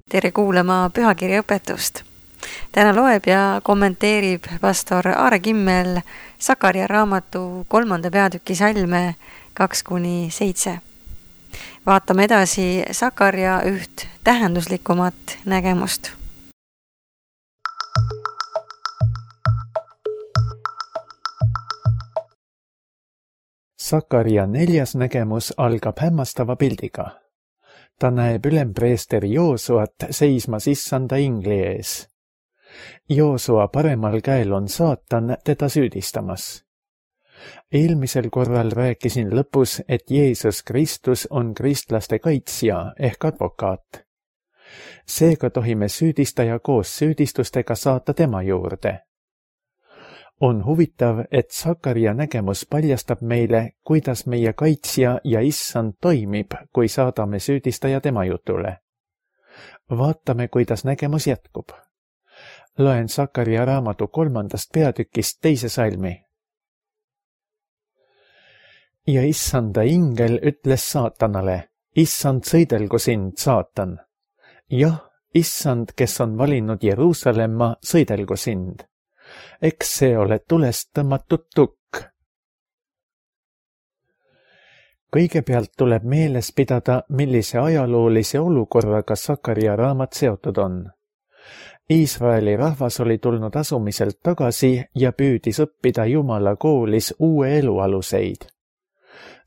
Tere kuulama pühakirjaõpetust. Täna loeb ja kommenteerib pastor Aare Kimmel Sakaria raamatu 3. peatüki salme 2-7. Vaatame edasi Sakaria üht tähenduslikumat nägemust. Sakaria 4. nägemus algab hämmastava pildiga. Ta näeb ülempreesteri Joosuat seismas issanda ingli ees. Joosua paremal käel on saatan teda süüdistamas. Eelmisel korral rääkisin lõpus, et Jeesus Kristus on kristlaste kaitsja ehk advokaat. Seega tohime süüdistaja koos süüdistustega saata tema juurde. On huvitav, et Sakaria nägemus paljastab meile, kuidas meie kaitsja ja issand toimib, kui saadame süüdistaja tema jutule. Vaatame, kuidas nägemus jätkub. Loen Sakaria raamatu 3. peatükist 2. salmi. Ja issanda ingel ütles saatanale, issand, sõidelgu sind, saatan. Jah, issand, kes on valinud Jeruusalemma, sõidelgu sind. Eks see ole tulest tõmmatud tukk. Kõigepealt tuleb meeles pidada, millise ajaloolise olukorraga Sakaria raamat seotud on. Iisraeli rahvas oli tulnud asumiselt tagasi ja püüdis õppida Jumala koolis uue elu aluseid.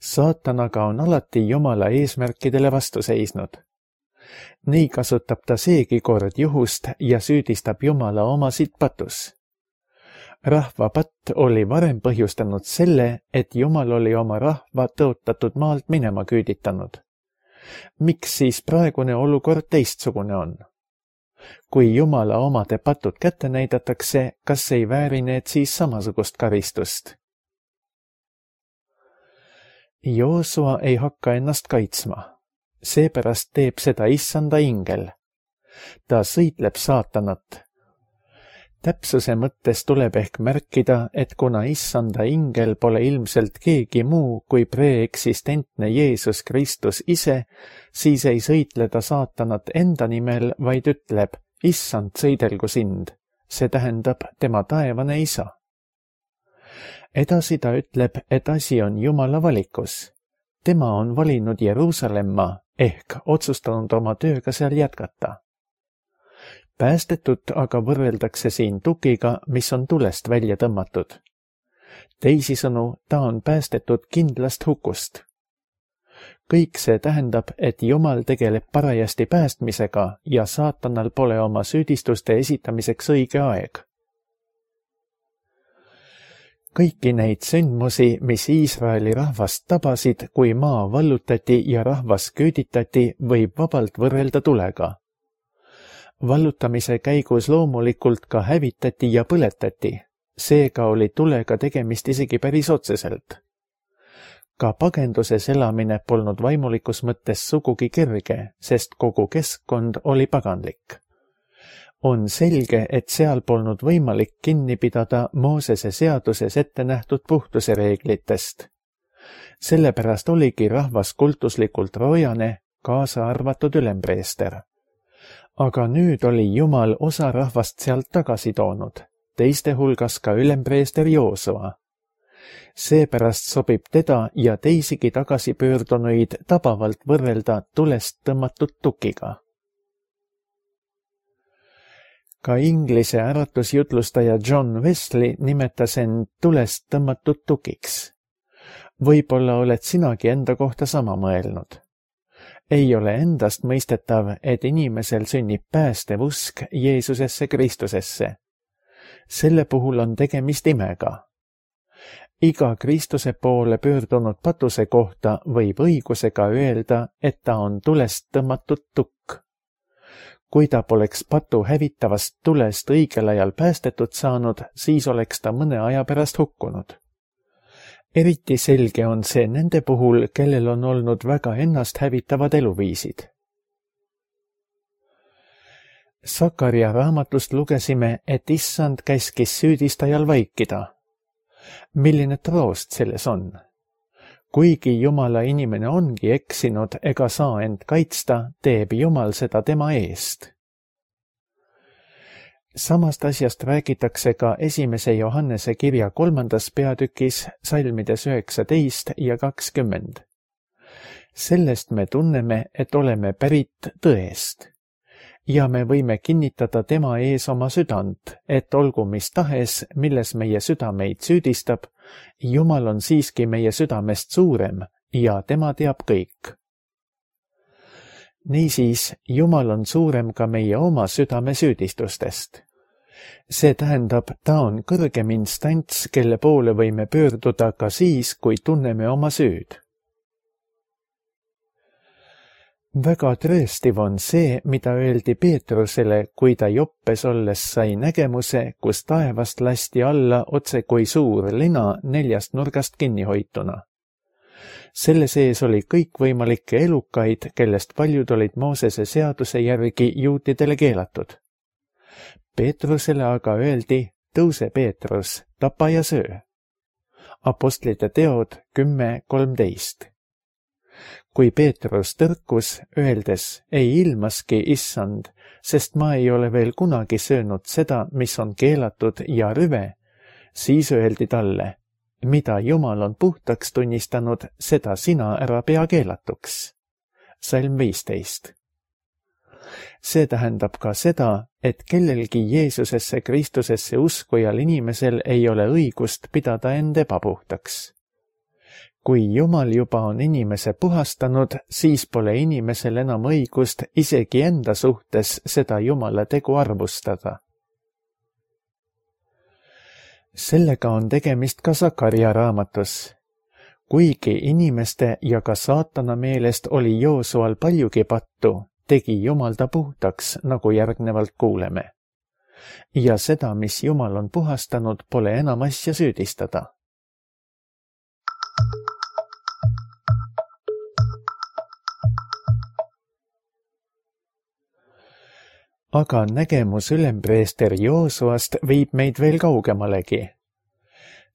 Saatan aga on alati Jumala eesmärkidele vastu seisnud. Nii kasutab ta seegi kord juhust ja süüdistab Jumala omasid patus. Rahva patt oli varem põhjustanud selle, et Jumal oli oma rahva tõotatud maalt minema küüditanud. Miks siis praegune olukord teistsugune on? Kui Jumala omade patud kätte näidatakse, kas ei vääri need siis samasugust karistust? Joosua ei hakka ennast kaitsma. Seepärast teeb seda issanda ingel. Ta sõitleb saatanat. Täpsuse mõttes tuleb ehk märkida, et kuna issanda ingel pole ilmselt keegi muu kui preeksistentne Jeesus Kristus ise, siis ei sõitle ta saatanat enda nimel, vaid ütleb, issand, sõidelgu sind. See tähendab tema taevane isa. Edasi ta ütleb, et asi on Jumala valikus. Tema on valinud Jeruusalemma ehk otsustanud oma tööga seal jätkata. Päästetut aga võrreldakse siin tukiga, mis on tulest välja tõmmatud. Teisisõnu, ta on päästetud kindlast hukust. Kõik see tähendab, et Jumal tegeleb parajasti päästmisega ja saatanal pole oma süüdistuste esitamiseks õige aeg. Kõiki neid sündmusi, mis Iisraeli rahvast tabasid, kui maa vallutati ja rahvas küüditati, võib vabalt võrrelda tulega. Vallutamise käigus loomulikult ka hävitati ja põletati, seega oli tulega tegemist isegi päris otseselt. Ka pagenduses elamine polnud vaimulikus mõttes sugugi kerge, sest kogu keskkond oli paganlik. On selge, et seal polnud võimalik kinni pidada Moosese seaduses ette nähtud puhtuse reeglitest. Sellepärast oligi rahvas kultuslikult roojane, kaasa arvatud ülempreester. Aga nüüd oli Jumal osa rahvast sealt tagasi toonud, teiste hulgas ka ülempreester Joosua. Seepärast sobib teda ja teisigi tagasi pöördunuid tabavalt võrrelda tulest tõmmatud tukiga. Ka inglise äratusjutlustaja John Wesley nimetas end tulest tõmmatud tukiks. Võib-olla oled sinagi enda kohta sama mõelnud. Ei ole endast mõistetav, et inimesel sünnib päästev usk Jeesusesse Kristusesse. Selle puhul on tegemist imega. Iga Kristuse poole pöördunud patuse kohta võib õigusega öelda, et ta on tulest tõmmatud tukk. Kui ta poleks patu hävitavast tulest õigel ajal päästetud saanud, siis oleks ta mõne aja pärast hukkunud. Eriti selge on see nende puhul, kellel on olnud väga ennast hävitavad eluviisid. Sakaria raamatust lugesime, et issand käskis süüdistajal vaikida. Milline troost selles on? kuigi Jumala inimene ongi eksinud ega saa end kaitsta, teeb Jumal seda tema eest. Samast asjast räägitakse ka 1. Johannese kirja 3. peatükis salmides 19 ja 20. Sellest me tunneme, et oleme pärit tõest. Ja me võime kinnitada tema ees oma südant, et olgu mis tahes, milles meie süda meid süüdistab, Jumal on siiski meie südamest suurem ja tema teab kõik. Niisiis, Jumal on suurem ka meie oma südame süüdistustest. See tähendab, ta on kõrgem instants, kelle poole võime pöörduda ka siis, kui tunneme oma süüd. Väga trööstiv on see, mida öeldi Peetrusele, kui ta Joppes olles sai nägemuse, kus taevast lasti alla otse kui suur lina 4 nurgast kinni hoituna. Selle sees oli kõikvõimalikke elukaid, kellest paljud olid Moosese seaduse järgi juutidele keelatud. Peetrusele aga öeldi, tõuse Peetrus, tapa ja söö. Apostlite teod 10:13. Kui Peetrus tõrkus, öeldes, ei ilmaski, issand, sest ma ei ole veel kunagi söönud seda, mis on keelatud ja rüve, siis öeldi talle, mida Jumal on puhtaks tunnistanud, seda sina ära pea keelatuks. Salm 15. See tähendab ka seda, et kellelgi Jeesusesse Kristusesse uskujal inimesel ei ole õigust pidada end ebapuhtaks. Kui Jumal juba on inimese puhastanud, siis pole inimesel enam õigust isegi enda suhtes seda Jumala tegu arvustada. Sellega on tegemist ka Sakaria raamatus. Kuigi inimeste ja ka saatana meelest oli Joosual paljugi pattu, tegi Jumal ta puhtaks, nagu järgnevalt kuuleme. Ja seda, mis Jumal on puhastanud, pole enam asja süüdistada. Aga nägemus ülempreester Joosuast viib meid veel kaugemalegi.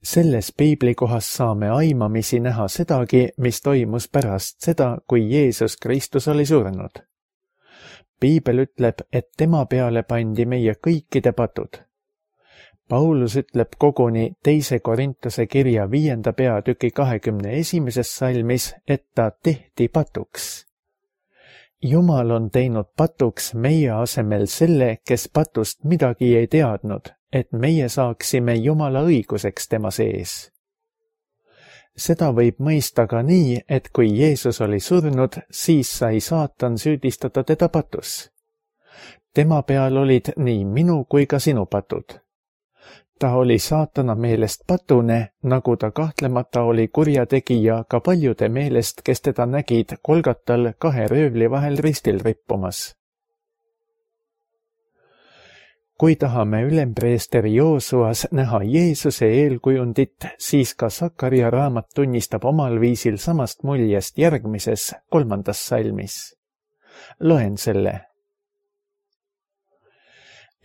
Selles piiblikohas saame aimamisi näha sedagi, mis toimus pärast seda, kui Jeesus Kristus oli surnud. Piibel ütleb, et tema peale pandi meie kõikide patud. Paulus ütleb koguni 2. Korintuse kirja 5. peatüki 21. salmis, et ta tehti patuks. Jumal on teinud patuks meie asemel selle, kes patust midagi ei teadnud, et meie saaksime Jumala õiguseks tema sees. Seda võib mõista ka nii, et kui Jeesus oli surnud, siis sai saatan süüdistada teda patus. Tema peal olid nii minu kui ka sinu patud. Ta oli saatana meelest patune, nagu ta kahtlemata oli kurjategija ka paljude meelest, kes teda nägid Kolgatal 2 röövli vahel ristil rippumas. Kui tahame ülempreester Joosuas näha Jeesuse eelkujundit, siis ka Sakaria raamat tunnistab omal viisil samast muljest järgmises 3. salmis. Loen selle.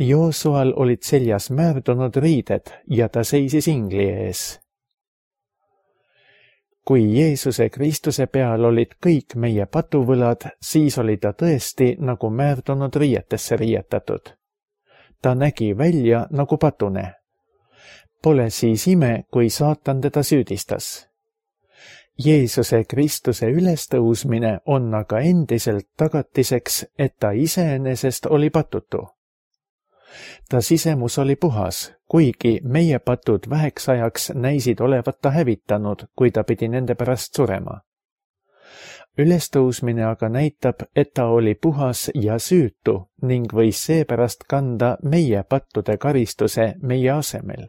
Joosual olid seljas määrdunud riided ja ta seisis ingli ees. Kui Jeesuse Kristuse peal olid kõik meie patuvõlad, siis oli ta tõesti nagu määrdunud riietesse riietatud. Ta nägi välja nagu patune. Pole siis ime, kui saatan teda süüdistas. Jeesuse Kristuse ülestõusmine on aga endiselt tagatiseks, et ta iseenesest oli patutu. Ta sisemus oli puhas, kuigi meie patud väheks ajaks näisid olevat ta hävitanud, kui ta pidi nende pärast surema. Ülestõusmine aga näitab, et ta oli puhas ja süütu ning võis seepärast kanda meie pattude karistuse meie asemel.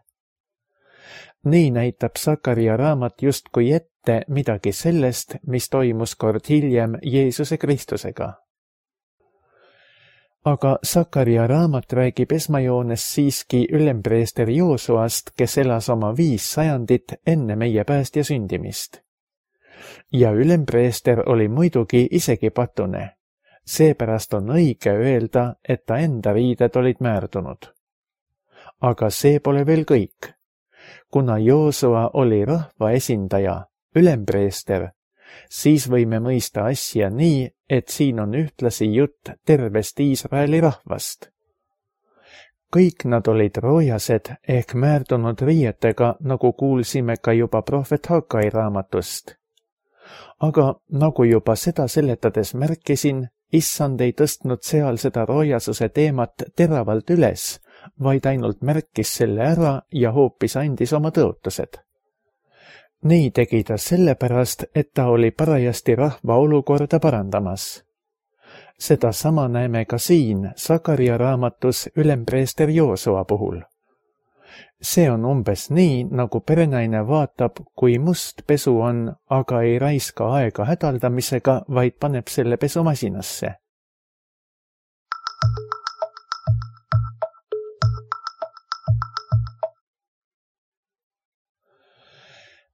Nii näitab Sakaria raamat justkui ette midagi sellest, mis toimus kord hiljem Jeesuse Kristusega. Aga Sakaria raamat räägib esmajoones siiski ülempreester Joosuast, kes elas oma 5 sajandit enne meie päästja sündimist. Ja ülempreester oli muidugi isegi patune. Seepärast on õige öelda, et ta enda riided olid määrdunud. Aga see pole veel kõik. Kuna Joosua oli rahva esindaja, ülempreester, siis võime mõista asja nii, et siin on ühtlasi jutt tervest Iisraeli rahvast. Kõik nad olid roojased ehk määrdunud riietega, nagu kuulsime ka juba prohvet Hagai raamatust. Aga nagu juba seda seletades märkisin, Issand ei tõstnud seal seda roojasuse teemat teravalt üles, vaid ainult märkis selle ära ja hoopis andis oma tõotused. Nii tegi ta sellepärast, et ta oli parajasti rahva olukorda parandamas. Seda sama näeme ka siin Sakaria raamatus ülempreester Joosua puhul. See on umbes nii, nagu perenaine vaatab, kui must pesu on, aga ei raiska aega hädaldamisega, vaid paneb selle pesumasinasse.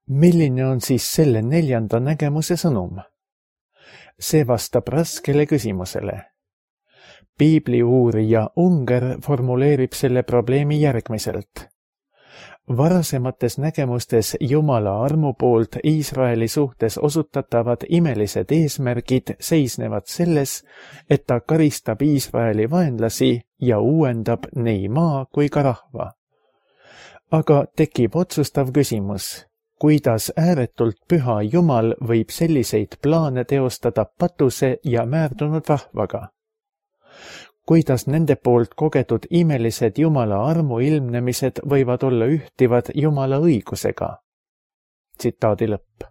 Milline on siis selle 4. nägemuse sõnum? See vastab raskele küsimusele. Piibli uurija Unger formuleerib selle probleemi järgmiselt. Varasemates nägemustes Jumala armu poolt Iisraeli suhtes osutatavad imelised eesmärgid seisnevad selles, et ta karistab Iisraeli vaenlasi ja uuendab nii maa kui ka rahva. Aga tekib otsustav küsimus. Kuidas ääretult püha Jumal võib selliseid plaane teostada patuse ja määrdunud rahvaga? Kuidas nende poolt kogetud imelised Jumala armu ilmnemised võivad olla ühtivad Jumala õigusega? Tsitaadi lõpp.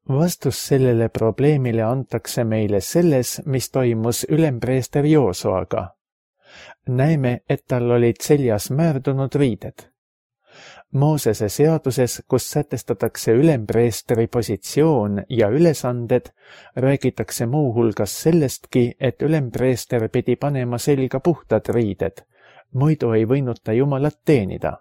Vastus sellele probleemile antakse meile selles, mis toimus ülempreester Joosuaga. Näeme, et tal olid seljas määrdunud riided. Moosese seaduses, kus sätestatakse ülempreestri positsioon ja ülesanded, räägitakse muu hulgas sellestki, et ülempreester pidi panema selga puhtad riided, muidu ei võinud ta Jumalat teenida.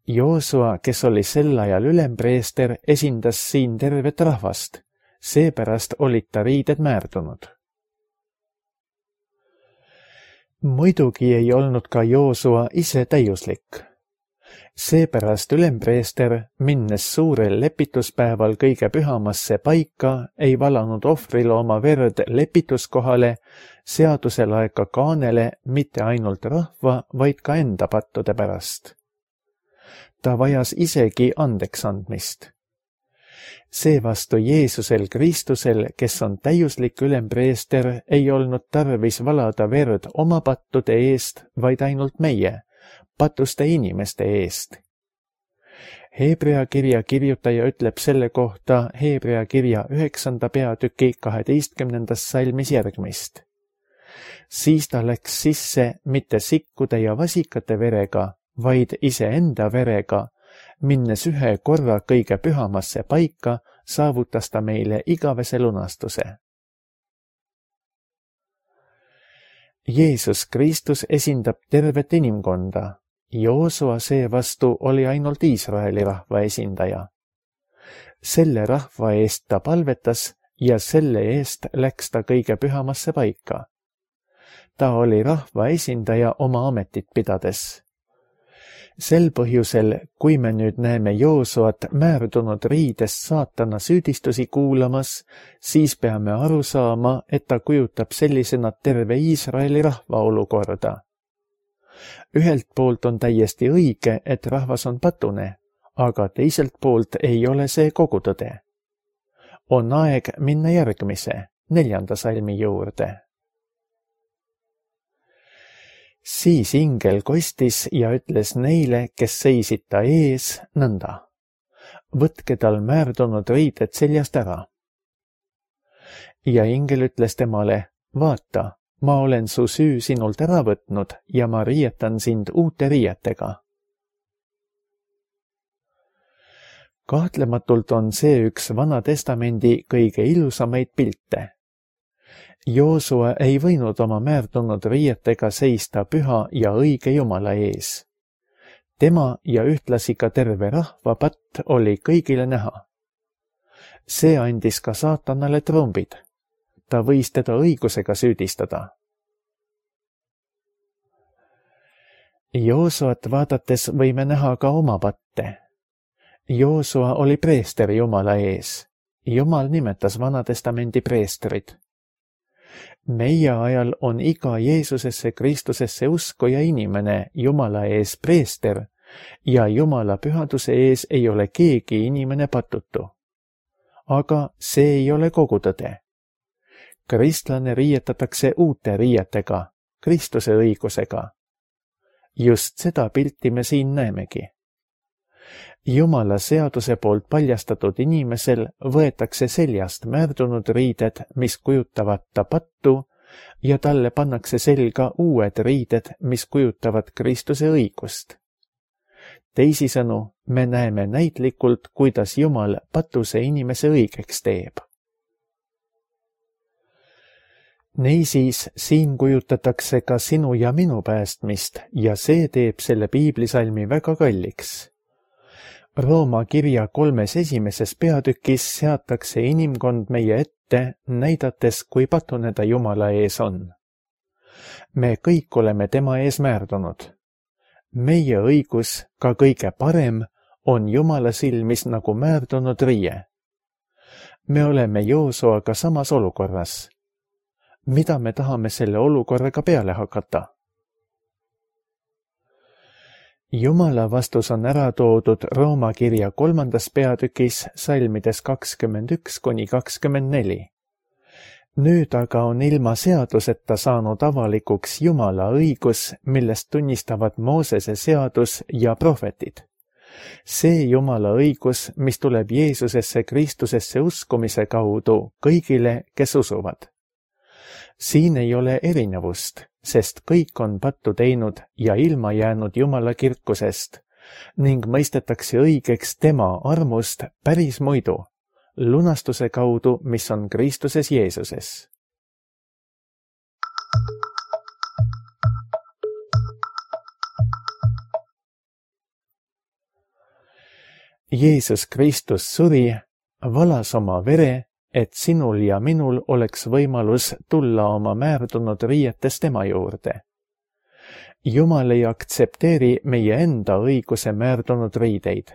Joosua, kes oli sel ajal ülempreester, esindas siin tervet rahvast, seepärast olid ta riided määrdunud. Muidugi ei olnud ka Joosua ise täiuslik. Seepärast ülempreester, minnes suurel lepituspäeval kõige pühamasse paika, ei valanud ohvrilooma verd lepituskohale, seaduselaeka kaanele mitte ainult rahva, vaid ka enda pattude pärast. Ta vajas isegi andeks andmist. Seevastu Jeesusel Kristusel, kes on täiuslik ülempreester, ei olnud tarvis valada verd oma pattude eest, vaid ainult meie, patuste inimeste eest. Heebrea kirja kirjutaja ütleb selle kohta Heebrea kirja 9. peatüki 12. salmis järgmist. Siis ta läks sisse mitte sikkude ja vasikate verega, vaid iseenda verega, minnes ühe korra kõige pühamasse paika, saavutas ta meile igavese lunastuse. Jeesus Kristus esindab tervet inimkonda. Joosua seevastu oli ainult Iisraeli rahva esindaja. Selle rahva eest ta palvetas ja selle eest läks ta kõige pühamasse paika. Ta oli rahva esindaja oma ametit pidades. Sel põhjusel, kui me nüüd näeme Joosuat määrdunud riides saatana süüdistusi kuulamas, siis peame aru saama, et ta kujutab sellisena terve Iisraeli rahva olukorda. Ühelt poolt on täiesti õige, et rahvas on patune, aga teiselt poolt ei ole see kogu tõde. On aeg minna järgmise, 4. salmi juurde. Siis ingel kostis ja ütles neile, kes seisid ta ees, nõnda. Võtke tal määrdunud riided seljast ära. Ja ingel ütles temale, vaata, ma olen su süü sinult ära võtnud ja ma riietan sind uute riietega. Kahtlematult on see üks Vana Testamendi kõige ilusamaid pilte. Joosua ei võinud oma määrdunud riietega seista püha ja õige Jumala ees. Tema ja ühtlasi ka terve rahva patt oli kõigile näha. See andis ka saatanale trumbid. Ta võis teda õigusega süüdistada. Joosuat vaadates võime näha ka oma patte. Joosua oli preester Jumala ees. Jumal nimetas Vanatestamendi preestrid. Meie ajal on iga Jeesusesse Kristusesse uskuja inimene Jumala ees preester ja Jumala pühaduse ees ei ole keegi inimene patutu. Aga see ei ole kogu tõde. Kristlane riietatakse uute riietega, Kristuse õigusega. Just seda pilti me siin näemegi. Jumala seaduse poolt paljastatud inimesel võetakse seljast määrdunud riided, mis kujutavad ta pattu, ja talle pannakse selga uued riided, mis kujutavad Kristuse õigust. Teisisõnu, me näeme näitlikult, kuidas Jumal patuse inimese õigeks teeb. Niisiis, siin kujutatakse ka sinu ja minu päästmist ja see teeb selle piiblisalmi väga kalliks. Rooma kirja 3. esimeses peatükis seatakse inimkond meie ette, näidates, kui patune ta Jumala ees on. Me kõik oleme tema ees määrdunud. Meie õigus, ka kõige parem, on Jumala silmis nagu määrdunud riie. Me oleme Joosuaga samas olukorras. Mida me tahame selle olukorraga peale hakata? Jumala vastus on ära toodud Rooma kirja 3. peatükis salmides 21–24. Nüüd aga on ilma seaduseta saanud avalikuks Jumala õigus, millest tunnistavad Moosese seadus ja prohvetid. See Jumala õigus, mis tuleb Jeesusesse Kristusesse uskumise kaudu kõigile, kes usuvad. Siin ei ole erinevust, sest kõik on pattu teinud ja ilma jäänud Jumala kirkusest ning mõistetakse õigeks tema armust päris muidu, lunastuse kaudu, mis on Kristuses Jeesuses. Jeesus Kristus suri, valas oma vere, et sinul ja minul oleks võimalus tulla oma määrdunud riietes tema juurde. Jumal ei aktsepteeri meie enda õiguse määrdunud riideid.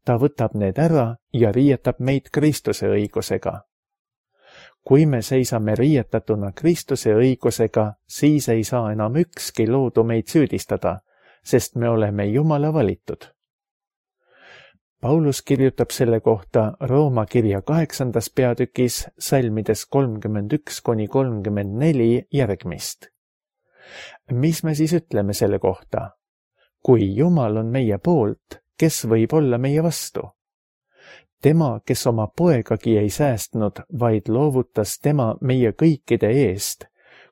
Ta võtab need ära ja riietab meid Kristuse õigusega. Kui me seisame riietatuna Kristuse õigusega, siis ei saa enam ükski loodu meid süüdistada, sest me oleme Jumala valitud. Paulus kirjutab selle kohta Rooma kirja 8. peatükis salmides 31–34 järgmist. Mis me siis ütleme selle kohta? Kui Jumal on meie poolt, kes võib olla meie vastu? Tema, kes oma poegagi ei säästnud, vaid loovutas tema meie kõikide eest,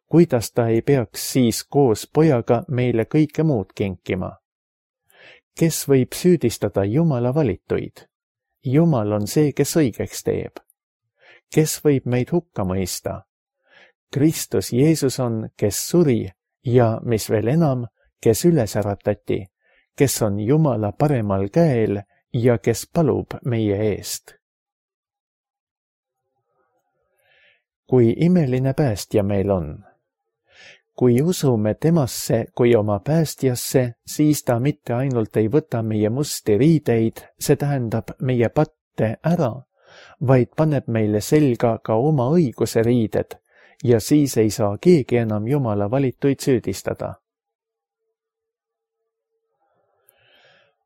kuidas ta ei peaks siis koos pojaga meile kõike muud kinkima? Kes võib süüdistada Jumala valituid? Jumal on see, kes õigeks teeb. Kes võib meid hukka mõista? Kristus Jeesus on, kes suri ja, mis veel enam, kes üles äratati, kes on Jumala paremal käel ja kes palub meie eest. Kui imeline päästja meil on. Kui usume temasse kui oma päästjasse, siis ta mitte ainult ei võta meie musti riideid, see tähendab meie patte ära, vaid paneb meile selga ka oma õiguse riided ja siis ei saa keegi enam Jumala valituid süüdistada.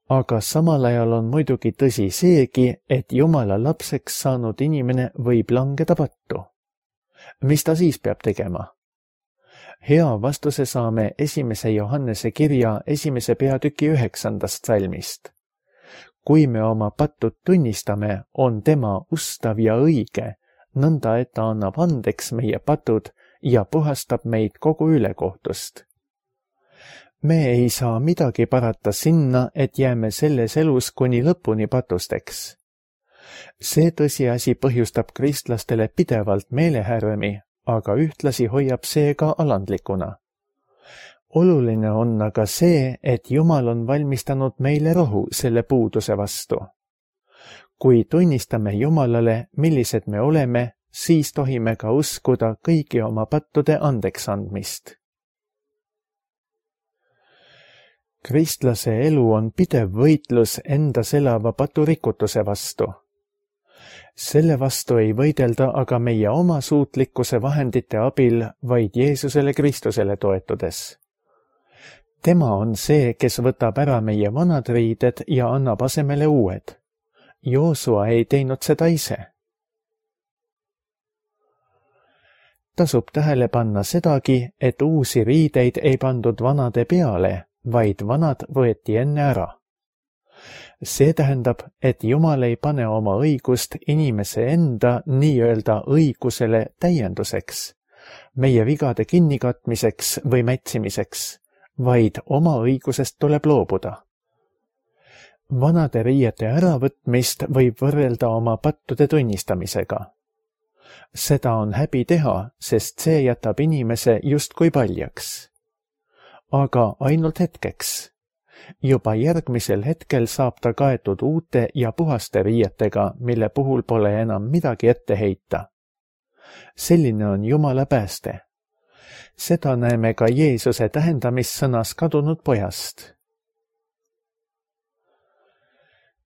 Aga samal ajal on muidugi tõsi seegi, et Jumala lapseks saanud inimene võib langeda pattu. Mis ta siis peab tegema? Hea vastuse saame 1. Johannese kirja 1. peatüki 9. salmist. Kui me oma pattud tunnistame, on tema ustav ja õige, nõnda et ta annab andeks meie patud ja puhastab meid kogu ülekohtust. Me ei saa midagi parata sinna, et jääme selles elus kuni lõpuni patusteks. See tõsiasi põhjustab kristlastele pidevalt meelehärmi, aga ühtlasi hoiab see ka alandlikuna. Oluline on aga see, et Jumal on valmistanud meile rohu selle puuduse vastu. Kui tunnistame Jumalale, millised me oleme, siis tohime ka uskuda kõigi oma pattude andeksandmist. Kristlase elu on pidev võitlus endas elava paturikutuse vastu. Selle vastu ei võidelda aga meie oma suutlikkuse vahendite abil, vaid Jeesusele Kristusele toetudes. Tema on see, kes võtab ära meie vanad riided ja annab asemele uued. Joosua ei teinud seda ise. Tasub tähele panna sedagi, et uusi riideid ei pandud vanade peale, vaid vanad võeti enne ära. See tähendab, et Jumal ei pane oma õigust inimese enda nii-öelda õigusele täienduseks, meie vigade kinnikatmiseks või mätsimiseks, vaid oma õigusest tuleb loobuda. Vanade riiete äravõtmist võib võrrelda oma pattude tunnistamisega. Seda on häbi teha, sest see jätab inimese justkui paljaks. Aga ainult hetkeks. Juba järgmisel hetkel saab ta kaetud uute ja puhaste riietega, mille puhul pole enam midagi ette heita. Selline on Jumala pääste. Seda näeme ka Jeesuse tähendamissõnas kadunud pojast.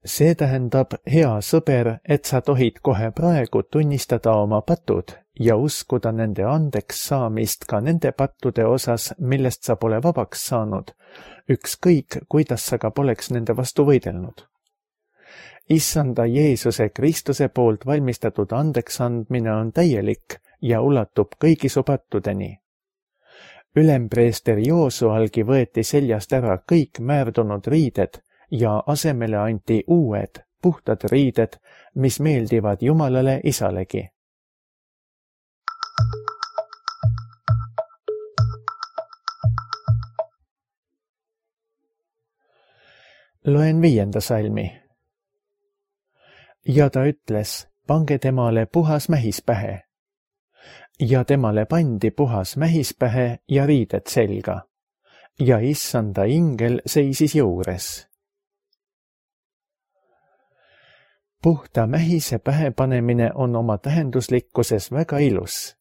See tähendab, hea sõber, et sa tohid kohe praegu tunnistada oma patud ja uskuda nende andeks saamist ka nende pattude osas, millest sa pole vabaks saanud, ükskõik, kuidas sa ka poleks nende vastu võidelnud. Issanda Jeesuse Kristuse poolt valmistatud andeks andmine on täielik ja ulatub kõigi su pattudeni. Ülempreester Joosualgi võeti seljast ära kõik määrdunud riided ja asemele anti uued, puhtad riided, mis meeldivad Jumalale Isalegi. Loen 5. salmi. Ja ta ütles, pange temale puhas mähis pähe. Ja temale pandi puhas mähis pähe ja riided selga. Ja issanda ingel seisis juures. Puhta mähise pähepanemine on oma tähenduslikkuses väga ilus.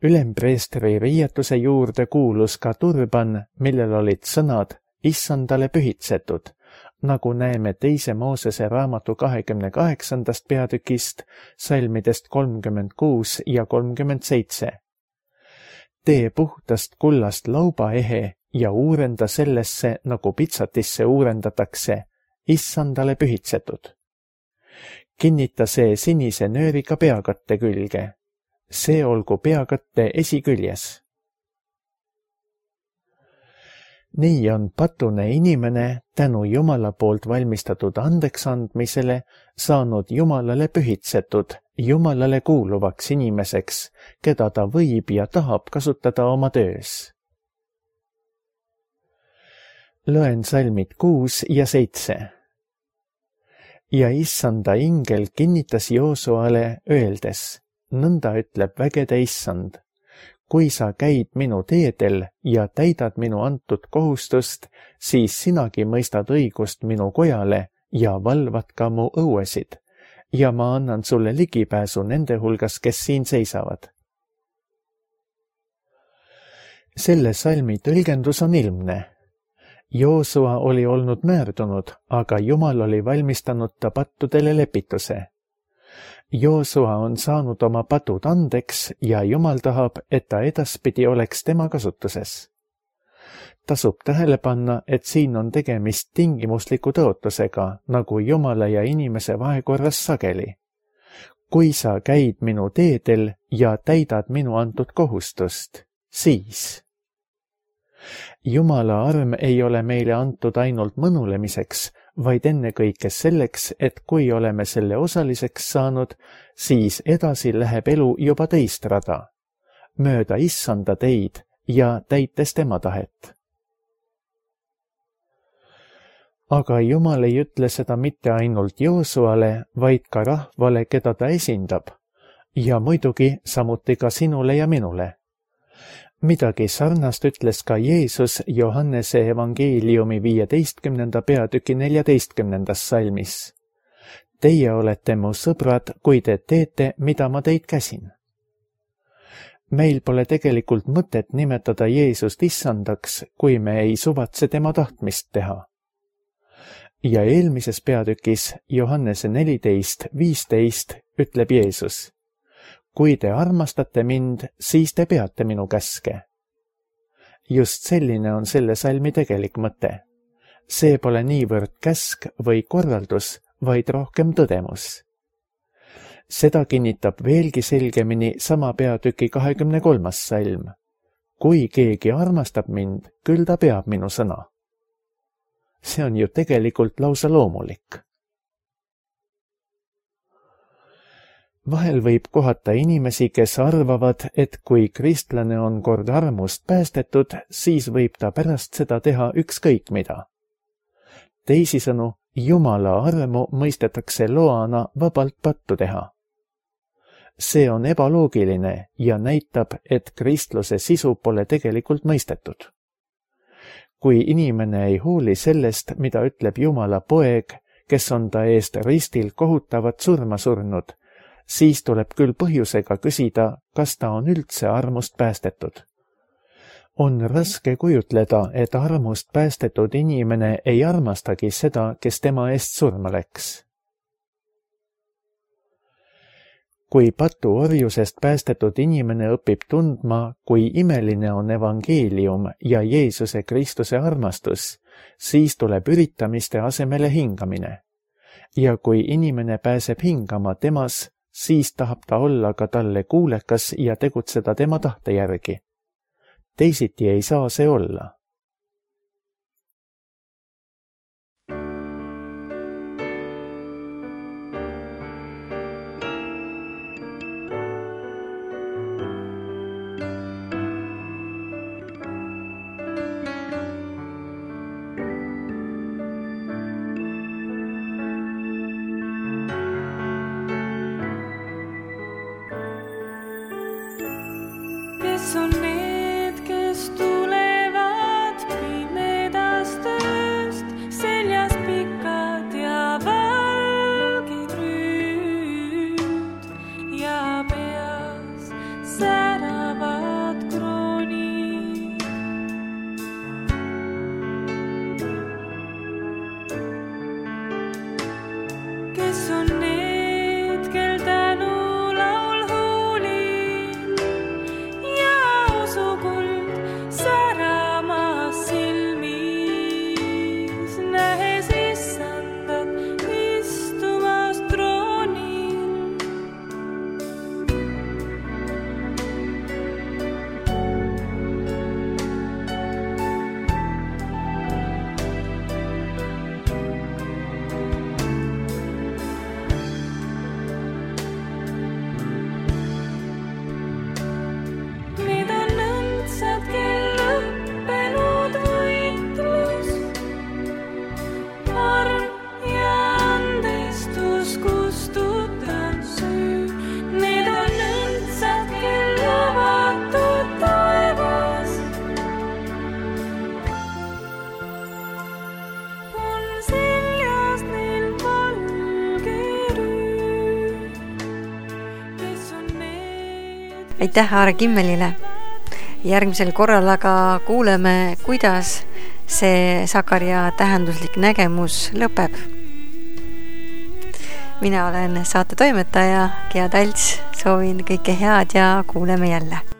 Ülempreestri riietuse juurde kuulus ka turban, millel olid sõnad issandale pühitsetud, nagu näeme 2. Moosese raamatu 28. peatükist, salmidest 36 ja 37. Tee puhtast kullast laubaehe ja uurenda sellesse, nagu pitsatisse uurendatakse, issandale pühitsetud. Kinnita see sinise nööriga peakatte külge. See olgu peakatte esiküljes. Nii on patune inimene tänu Jumala poolt valmistatud andeksandmisele saanud Jumalale pühitsetud, Jumalale kuuluvaks inimeseks, keda ta võib ja tahab kasutada oma töös. Loen salmid 6 ja 7. Ja issanda ingel kinnitas Joosuale öeldes, nõnda ütleb vägede issand, kui sa käid minu teedel ja täidad minu antud kohustust, siis sinagi mõistad õigust minu kojale ja valvad ka mu õuesid, ja ma annan sulle ligipääsu nende hulgas, kes siin seisavad. Selle salmi tõlgendus on ilmne. Joosua oli olnud määrdunud, aga Jumal oli valmistanud ta pattudele lepituse. Joosua on saanud oma patud andeks ja Jumal tahab, et ta edaspidi oleks tema kasutuses. Tasub tähele panna, et siin on tegemist tingimusliku tõotusega, nagu Jumala ja inimese vahekorras sageli. Kui sa käid minu teedel ja täidad minu antud kohustust, siis... Jumala arm ei ole meile antud ainult mõnulemiseks, vaid ennekõike selleks, et kui oleme selle osaliseks saanud, siis edasi läheb elu juba teist rada, mööda issanda teid ja täites tema tahet. Aga Jumal ei ütle seda mitte ainult Joosuale, vaid ka rahvale, keda ta esindab, ja muidugi samuti ka sinule ja minule. Midagi sarnast ütles ka Jeesus Johannese evangeeliumi 15. peatüki 14. salmis. Teie olete mu sõbrad, kui te teete, mida ma teid käsin. meil pole tegelikult mõtet nimetada Jeesust issandaks, kui me ei suvatse tema tahtmist teha. Ja eelmises peatükis Johannese 14:15 ütleb Jeesus: kui te armastate mind, siis te peate minu käske. Just selline on selle salmi tegelik mõte. See pole niivõrd käsk või korraldus, vaid rohkem tõdemus. Seda kinnitab veelgi selgemini sama peatüki 23. salm. Kui keegi armastab mind, küll ta peab minu sõna. See on ju tegelikult lausa loomulik. Vahel võib kohata inimesi, kes arvavad, et kui kristlane on kord armust päästetud, siis võib ta pärast seda teha ükskõik mida. Teisisõnu, Jumala armu mõistetakse loana vabalt pattu teha. See on ebaloogiline ja näitab, et kristluse sisu pole tegelikult mõistetud. Kui inimene ei hooli sellest, mida ütleb Jumala poeg, kes on ta eest ristil kohutavat surma surnud, siis tuleb küll põhjusega küsida, kas ta on üldse armust päästetud. On raske kujutleda, et armust päästetud inimene ei armastagi seda, kes tema eest surma läks. Kui patuorjusest päästetud inimene õpib tundma, kui imeline on evangeelium ja Jeesuse Kristuse armastus, siis tuleb üritamiste asemele hingamine. Ja kui inimene pääseb hingama temas, siis tahab ta olla ka talle kuulekas ja tegutseda tema tahte järgi. Teisiti ei saa see olla. Kes on need, kes tulevad pimedast ööst, seljas pikad ja valgid rüüd ja peas säravad kroonid. Kes on need, kel tänu aitäh Aare Kimmelile. Järgmisel korral aga kuuleme, kuidas see Sakaria tähenduslik nägemus lõpeb. Mina olen saate toimetaja Gea Talts, soovin kõike head ja kuuleme jälle.